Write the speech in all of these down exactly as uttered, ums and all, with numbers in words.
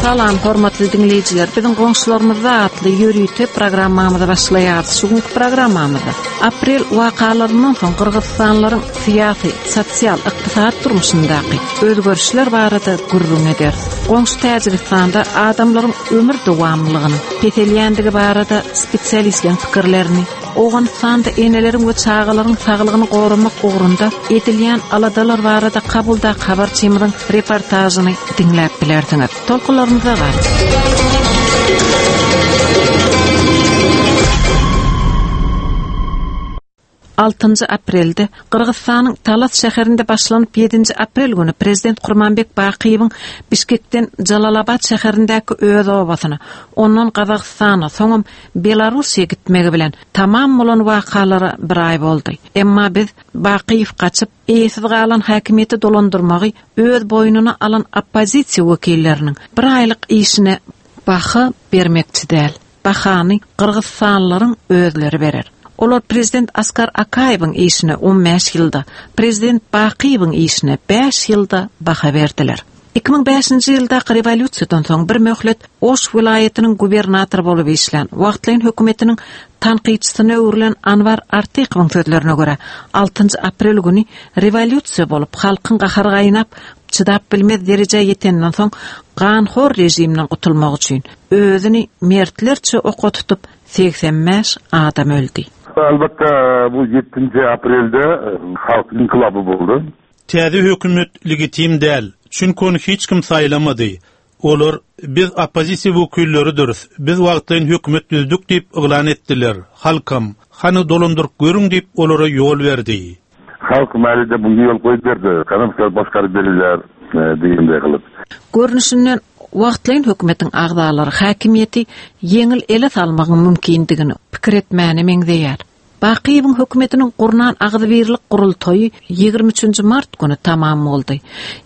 Salam hormatly dinleýjiler. Biziň goňşularymyzda atly ýörite programmamyzy başlaýarys. Şu günki programmamyzda aprel wakalaryndan soň Gyrgyzystanlaryň syýasy, sosial, ykdysady durmuşyndaky özgerişler barada gürrüň ederis. Goňşy Täjigistanda adamlaryň ömür dowamlylygynyň peselýändigi barada spesialistleriň pikirlerini, Owganystanda eneleriň we çagalaryň saglygyny goramak ugrunda edilýän aladalar barada Kabuldaky habarçymyzyň reportažyny diňläp bilersiňiz. Tolkunlarymyza gal. Altynjy aprelde Gyrgyzystanyň Talas şäherinde başlanyp ýedinji aprel güni prezident Kurmanbek Bakyýewiň Bişkekden Jalalabad şäherindäki öz obasyna, ondan Gazagystana, soňam Belarusiýa gitmegi bilen tamam bolan wakalara bir aý boldy. Emma biz Bakyýew gaçyp, eýesiz galan häkimiýeti dolandyrmagy öz boýnuna alan oppozisiýa wekilleriniň bir aýlyk işine baha bermekçi däl. Bahany Gyrgyzystanlylaryň özleri berer. Olar prezident Askar Akaýewiň işine on bäş ýylda, prezident Bakyýewiň işine bäş ýylda baha berdiler. Iki müň bäşinji ýyldaky rewolýusiýadan soň bir möhlet Oş welaýatynyň gubernatory bolup işlän, wagtlaýyn hökümetiniň tankytçysyna öwrülen Anwar Artykowyň sözlerine görä, altynjy aprel güni rewolýusiýa bolup, halkyň gahary gaýnap, çydap bilmez derejä ýetenden soň ganhor režimden gutulmak üçin özüni mertlerçe oka tutup segsen bäş adam öldi. Elbetde bu ýedinji aprelde halk inkilaby boldy. Täze hökümet legitim däl, çünki ony hiç kim saýlamady. Olar biz oppozisiýa wekilleridiris, biz wagtlaýyn hökümet düzdük diýip yglan etdiler. Halkam hany dolandyryp görüň diýip olara ýol berdi. Halk mälide bunga ýol goýup berdi. Kanamsal başgaryp berirler, e, diýende gylyp. Görnüşinden wagtlaýyn hökümetiň agzalary häkimiýeti ýeňil ele salmagyň mümkindigini pikir etmäne meňzeýär. Bakyýewiň hökümetiniň gurnan agzybirlik gurultaýy ýigrimi üçünji mart güni tamam boldy.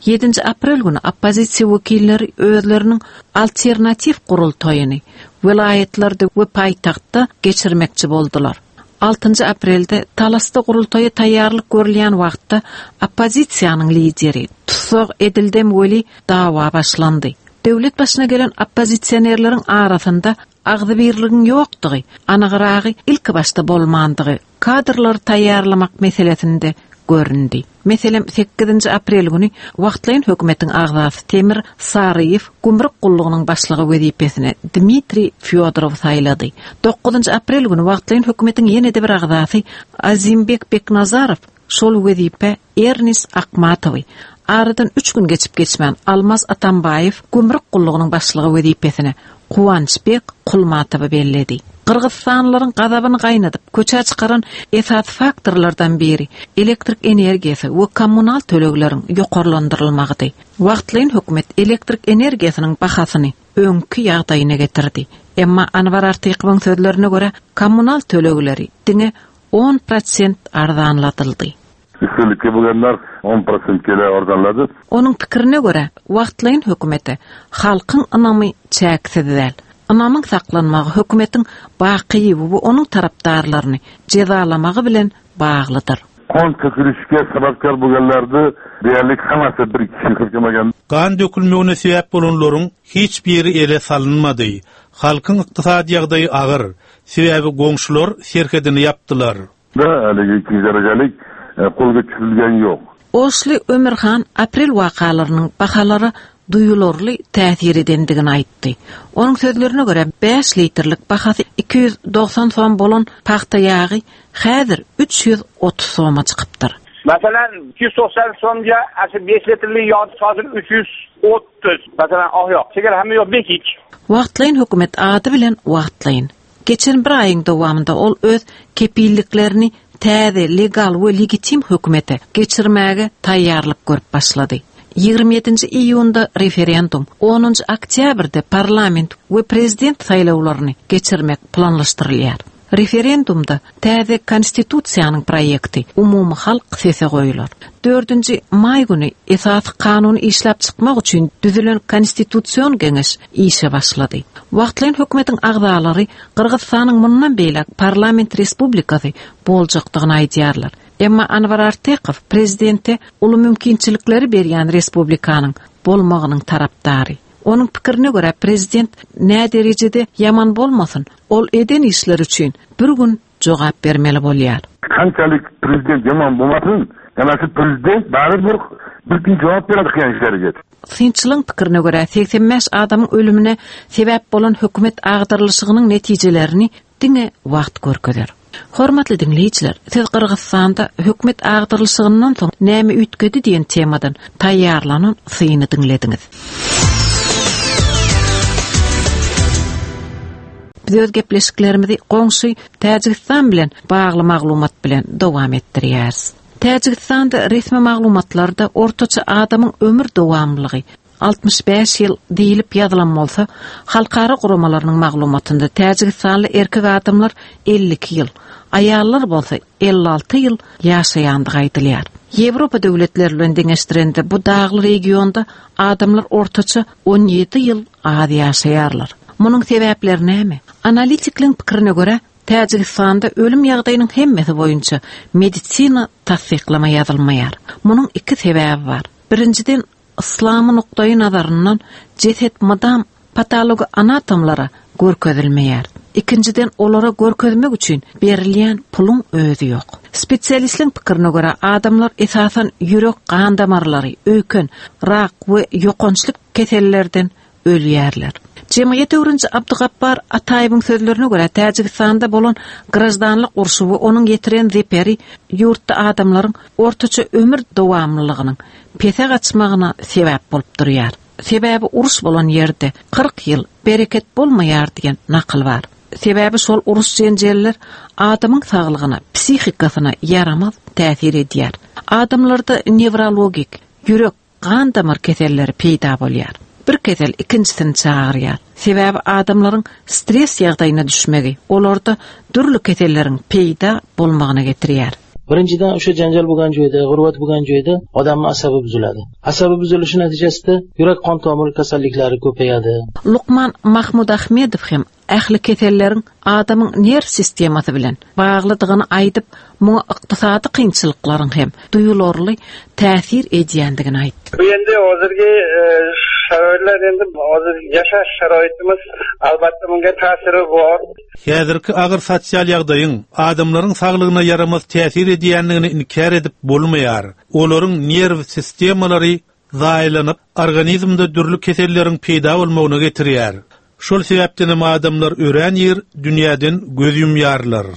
Ýedinji aprel güni oppozisiýa wekilleri özleriniň alternatiw gurultaýyny welaýatlarda we paýtagtda geçirmekçi boldular. Altynjy aprelde Talasda gurultaýa taýýarlyk görülýän wagtda oppozisiýanyň lideri tussag edildem weli dawa başlandy. Döwlet başyna gelen oppozisionerleriň arasynda agzybirligiň ýokdugy, anygyragy ilki başda bolmandygy kadrlary taýýarlamak meselesinde göründi. Meselem, sekizinji aprel güni wagtlaýyn hökümetiň agzasy Temir Saryýew gümrük gullugynyň başlygy wezipesine Dmitriý Fyodorov saýlady. Dokuzynjy aprel güni wagtlaýyn hökümetiň ýene-de bir agzasy Azimbek Beknazarow şol wezipe Ernis Akmatowy aradan üç gün geçip geçmän Almaz Atambaýew gümrük gullugynyň başlygy wezipesine Kuwançbek Kulmatowy belledi. Gyrgyzystanlylaryň gazabyny gaýnadyp köçä çykaran esasy faktorlardan biri elektrik energiýasy we kommunal tölegleriň ýokarlandyrylmagydy. Wagtlaýyn hökümet elektrik energiýasynyň bahasyny öňki ýagdaýyna getirdi. Emma Anwar Artykowyň sözlerine görä kommunal tölegleri diňe on prosent arzanladyldy. Üstünlikli bulanlar on prosent gele arzanlady. Onuň pikirine görä wagtlaýyn hökümete halkyň ynamy çäksiz däl. Ynamyň saklanmagy hökümetiň Bakyýewi we onuň tarapdarlaryny jezalamagy bilen baglydyr. Kan tökülişke sebäpkär bulanlardy diýerlik hammasi bir kişi kirkemagan. Gan dökülmegine sebäp bolanlaryň hiç biri ele salynmady. Halkyň ykdysady ýagdaýy agyr. Sebäbi goňşular serhedini ýapdylar. Da, haligi ikinji derejeli, e, qo'lga tushirilgan yo'q. Oşly Ömürhan aprel wakalarynyň bahalara duýularly täsir edendigini aýtdy. Onuň sözlerine görä bäş litrlik bahasy iki ýüz dogsan som bolan pagta ýagy häzir üç ýüz otuz soma çykypdyr. Masalan, ikki ýüz to'qson so'mga asl besh litrlik yog hozir uch yuz o'ttiz. Masalan, oq yog. Chegara hamma yoq bekik. Wagtlaýyn hökümet ady bilen wagtlaýyn. Geçen bir aýyň dowamynda ol öz kepilliklerini täze legal we legitim hökümete geçirmäge taýýarlyk görüp başlady. Ýigrimi ýedinji iýunda referendum, onunjy oktýabrda parlament we prezident saýlawlaryny geçirmek planlaşdyrylýar. Referendumda täze konstitusiýanyň proýekti umumy halk sese goýular. Dördünji maý güni esasy kanuny işläp çykmak üçin düzülen konstitusion geňeş işe başlady. Wagtlaýyn hökümetiň agzalary Gyrgyzystanyň mundan beýläk parlament respublikasy boljakdygyny aýdýarlar. Emma Anwar Artykow prezidente uly mümkinçilikleri berýän respublikanyň bolmagynyň tarapdary. Onuň pikirine görä prezident nä derejede ýaman bolmasyn, ol eden işler üçin bir gün jogap bermeli bolýar. Qanchalik prezident yomon bo'lmasin, ana shu prezident baribir bir kun javob beradi qilgan ishlariga. Synçylyň pikirine görä seksen bäş adamyň ölümine sebäp bolan hökümet agdarylyşygynyň netijelerini diňe wagt görkezer. Hormatly diňleýjiler, siz Gyrgyzystanda hökümet agdarylyşygyndan soň näme üýtgedi diýen temadan taýýarlanan syny diňlediňiz. Biz öz gepleşiklerimizi goňşy Täjigistan bilen bagly maglumat bilen dowam etdirýäris. Täjigistanda resmi maglumatlarda ortaça adamyň ömür dowamlylygy altmyş bäş ýyl diýilip ýazylan bolsa, halkara guramalarynyň maglumatynda Täjigistanly erkek adamlar elli iki ýyl, aýallar bolsa elli alty ýyl ýaşaýandygy aýdylýar. Ýewropa döwletleri bilen deňeşdirende bu dagly regionda adamlar ortaça on ýedi ýyl az ýaşaýarlar. Munuň sebäpleri näme? Analitikleň pikirine görä, Täjigistanda ölüm ýagdaýynyň hemmesi boýunça medisina tassyklama ýazylmaýar. Munuň iki sebäbi bar. Birinjiden, Islamy nukdaýy nazaryndan jeset madam patologi anatomlara görkezilmeýär. Ikinjiden, olara görkezmek üçin berilýän puluň özi ýok. Spesialistleň pikirine görä, adamlar esasan ýürek gan damarlary, öýken, rak we ýokançlyk kesellerden ölýärler. Jemgyýet öwreniji Abdugappar Ataýewiň sözlerine görä, Täjigistanda bolan grajdanlyk urşy we onuň ýetiren zeperi ýurtda adamlaryň ortaça ömür dowamlylygynyň pese gaçmagyna sebäp bolup durýar. Sebäbi uruş bolan ýerde kyrk ýyl bereket bolmaýar diýen nakyl bar. Sebäbi şol uruş jenjeller adamyň saglygyna, psihikasyna ýaramaz täsir edýär. Adamlarda newrologik, ýürek, gan damar keselleri peýda bolýar. Bir kesel ikinjisini çagyrýar. Sebäbi adamlaryň stres ýagdaýyna düşmegi olarda dürli keselleriň peýda bolmagyna getirýär. Birinchidan, o'sha janjal bo'lgan joyda, g'urbat bo'lgan joyda odamning asabi buziladi. Asabi buzilishi natijasida yurak qon tomir kasalliklari ko'payadi. Luqman Mahmud Ahmedov hem ähli keselleriň adamyň nerw sistemasy bilen baglydygyny aýdyp, muňa iqtisadi kynçylyklaryň hem duýularly täsir edýändigini aýtdy. Bu endi hozirgi, e, sharoitlar endi hozir yashash sharoitimiz albatta bunga ta'siri bor. Häzirki agyr sosial ýagdaýyň adamlaryň saglygyna ýaramaz täsir edýändigini inkär edip bolmaýar. Olaryň nerw sistemalary zaýalanyp, organizmde dürli keselleriň peýda bolmagyna getirýär. Şol sebäpden hem adamlar örän ýer dünýäden göz ýumýarlar.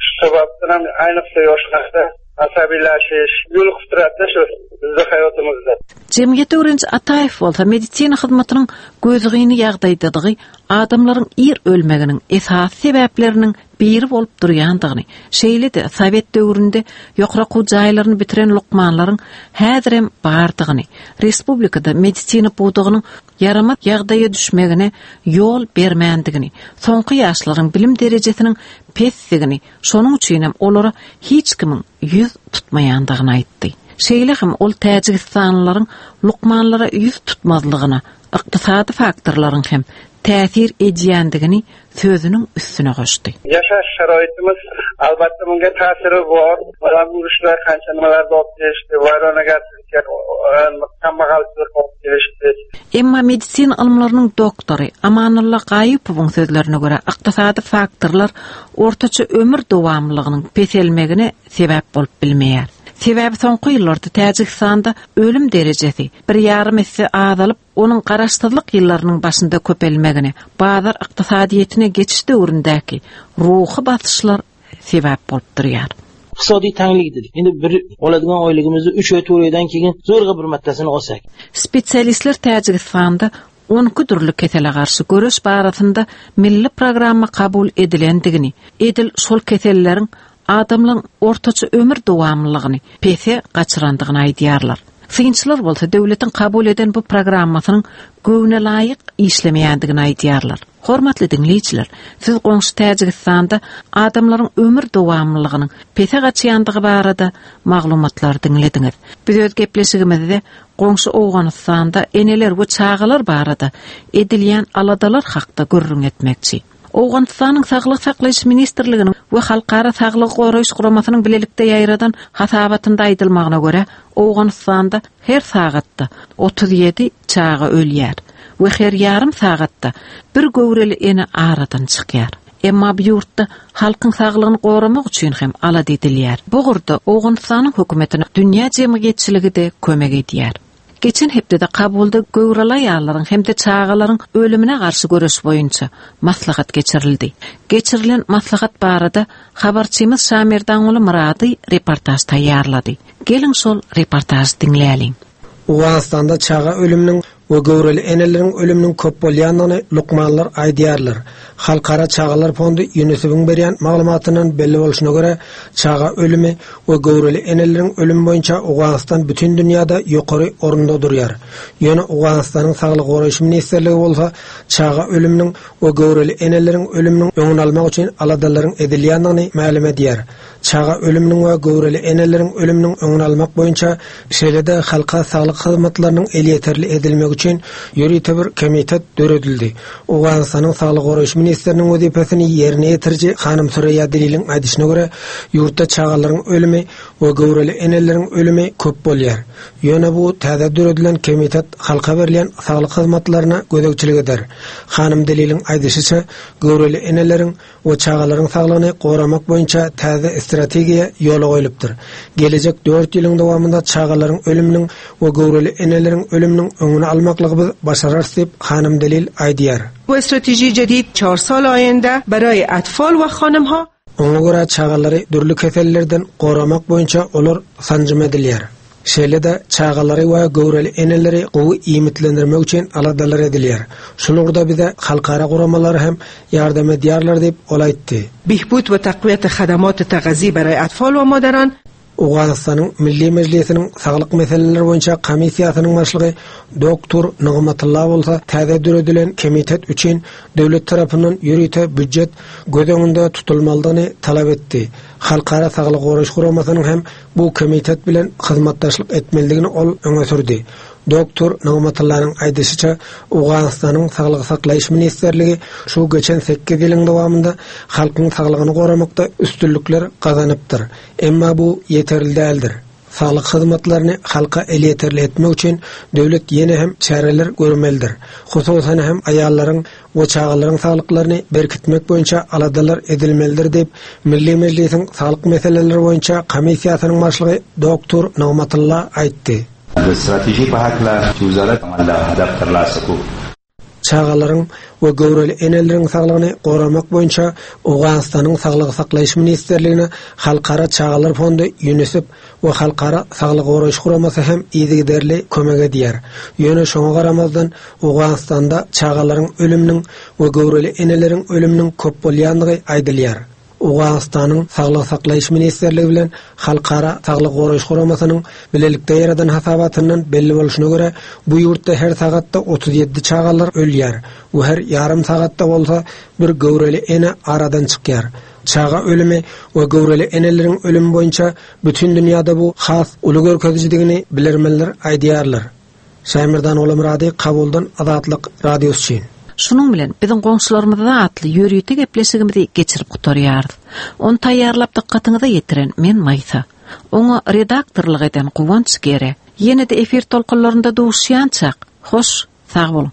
Shu sababdan ham ayniqsa yoshlarda asabiylashish yo'l qilib shu bizning hayotimizda. Jemgyýet öwreniji Ataýew bolsa medisina hyzmatynyň gözgyny ýagdaýdadygy adamlaryň ir ölmeginiň esasy sebäpleriniň biri bolup durýandygyny, şeýle-de Sowet döwründe ýokary okuw jaýlaryny bitiren lukmanlaryň häzirem bardygyny, respublikada medisina pudagynyň ýaramaz ýagdaýa düşmegine ýol bermändigini, soňky ýaşlaryň bilim derejesiniň pesdigini, şonuň üçin hem olara hiç kimiň ýüz tutmaýandygyny aýtdy. Şeýle hem ol Täjigistanlylaryň lukmanlara ýüz tutmazlygyna iqtisadi faktorlaryň hem täsir edýändigini sözüniň üstüne goşdy. Yashash sharoitimiz albatta bunga ta'siri bor. Odam urushlar qancha nimalarni olib kelishdi, vayronagarchilikka, kambag'alchilik olib kelishdi. Emma medisina ylymlarynyň doktory Amanulla Gaýypowyň sözlerine görä, iqtisadi faktorlar ortaça ömür dowamlylygynyň peselmegine sebäp bolup bilmeýär. Sebäbi soňky ýyllarda Täjigistanda ölüm derejesi bir ýarym esse azalyp, onuň garaşsyzlyk ýyllarynyň başynda köpelmegine, bazar iqtisadiýetine geçiş döwründäki ruhy basyşlar sebäp bolup durýar. Iqtisodiy tanglik dedik. Endi bir oladigan oyligimizni uch oy to'rt oydan keyin zo'rg'a bir martasini olsak. Spesialistler Täjigistanda on iki dürli kesele garşy göreş barasynda milli programma kabul edilendigini, edil şol keselleriň adamlaryň ortaça ömür dowamlylygyny pese gaçyrandygyny aýdýarlar. Synçylar bolsa döwletiň kabul eden bu programmasynyň göwne laýyk işlemeýändigini aýdýarlar. Hormatly diňleýjiler, siz goňşy Täjigistanda adamlaryň ömür dowamlylygynyň pese gaçýandygy barada maglumatlar diňlediňiz. Biz öz gepleşigimizde goňşy Owganystanda eneler we çagalar barada edilýän aladalar hakda gürrüň etmekçi. Owganystanyň Saglyk Saklaýyş Ministrliginiň we Halkara Saglygy Goraýyş Guramasynyň bilelikde ýaýradan hasabatynda aýdylmagyna görä, Owganystanda her sagatda otuz ýedi çaga ölýär. We her ýarym sagatda bir göwreli ene aradan çykýar. Emma bu ýurtda halkyň saglygyny goramak üçin hem alada edilýär. Bu ugurda Owganystanyň hökümetine dünýä jemgyýetçiligi-de kömek edýär. Geçen hepdede Kabulda göwreli aýallaryň hem-de çagalaryň ölümine garşy göreş boýunça maslahat geçirildi. Geçirilen maslahat barada habarçymyz Şamerdanguly Myrady reportaž taýýarlady. Geliň şol reportažy diňläliň. Owganystanda çaga ölüminiň we göwreli eneleriň ölüminiň köp bolýandygyny lukmanlar aýdýarlar. Halkara Çagalar Fondy UNICEF-iň berýän maglumatyndan belli bolşuna görä, çaga ölümi we göwreli eneleriň ölümi boýunça Owganystan bütün dünýäde ýokary orunda durýar. Ýöne Owganystanyň Saglygy goraýyş ministrligi bolsa çaga ölüminiň we göwreli eneleriň ölüminiň öňüni almak üçin aladalaryň edilýändigini mälim edýär. Çaga ölüminiň we göwreli eneleriň ölüminiň öňüni almak boýunça şeýle-de halka saglyk hyzmatlarynyň elýeterli edilmegi üçin ýörite bir komitet döredildi. Owganystanyň Saglygy goraýyş ministriniň wezipesini ýerine ýetiriji Hanym Sureýa Deliliň aýdyşyna görä, ýurtda çagalaryň ölümi we göwreli eneleriň ölümi köp bolýar. Ýöne bu täze döredilen komitet halka berilýän saglyk hyzmatlaryna gözegçilik eder. Hanym Deliliň aýdyşyça, göwreli eneleriň we çagalaryň saglygyny goramak boýunça täze strategiýa ýola goýlupdyr. Gelejek dört ýylyň dowamynda çagalaryň ölüminiň we göwreli eneleriň ölüminiň öňüni almaklygy biz başararys diýip Hanym Delil aýdýar. و استراتژی جدید چهار سال آینده برای اطفال و خانم ها Oňa görä çagalary dürli kesellerden goramak boýunça olar sanjym edilýär. Şeýle-de çagalary we göwreli eneleri gowy iýmitlendirmek üçin aladalar edilýär. Şul ugurda bize halkara guramalary hem ýardam edýärler diýip ol aýtdy. بهبود و تقویت خدمات تغذی برای اطفال و مادران Owganystanyň Milli Mejlisiniň saglyk meseleleri boýunça komissiýasynyň başlygy Doktor Nygmatullah bolsa täze döredilen komitet üçin döwlet tarapyndan ýörite býujet göz öňünde tutulmalydygyny talap etdi. Halkara Saglyk Goraýyş Guramasynyň hem bu komitet bilen hyzmatdaşlyk etmelidigini ol öňe sürdi. Doktor Nygmatullanyň aýdyşyça, Owganystanyň Saglygy saklaýyş ministrligi şu geçen sekiz ýylyň dowamynda halkyň saglygyny goramakda üstünlikler gazanypdyr. Emma bu ýeterli däldir. Saglyk hyzmatlaryny halka elýeterli etmek üçin döwlet ýene hem çäreler görmelidir. Hususan hem aýallaryň we çagalaryň saglyklaryny berkitmek boýunça aladalar edilmelidir diýip Milli Mejlisiň saglyk meseleleri boýunça komissiýasynyň başlygy Doktor Nygmatullah aýtdy. د ستراتیژي په هکله چې وزارت عمل هدف ترلاسه کړو. Çagalaryň we göwreli eneleriň saglygyny goramak boýunça Owganystanyň Saglygy saklaýyş ministrligine Halkara Çagalar Fondy UNICEF we Halkara Saglygy Goraýyş Guramasy hem yzygiderli kömek edýär. Ýöne şoňa garamazdan Owganystanda çagalaryň ölüminiň we göwreli eneleriň ölüminiň köp bolýandygy aýdylýar. Owganystanyň Saglygy saklaýyş ministrligi bilen Halkara Saglygy Goraýyş Guramasynyň bilelikde ýaradan hasabatyndan belli bolşuna görä, bu ýurtda her sagatda otuz ýedi çagalar ölýär we her ýarym sagatda bolsa bir göwreli ene aradan çykýar. Çaga ölümi we göwreli eneleriň ölümi boýunça bütün dünýäde bu has uly görkezijidigini bilermenler aýdýarlar. Şaýmerdan Olamurady, Kabuldan Azatlyk Radiosy üçin. Şunuň bilen biziň goňşularymyzda atly ýörite gepleşigimizi geçirip gutarýarys. Ony taýýarlap dykgatyňyza ýetiren men Maýsa. Oňa redaktorlyk eden Guwanç Gere. Ýene-de efir tolkunlarynda duşýançak. Hoş, sag boluň.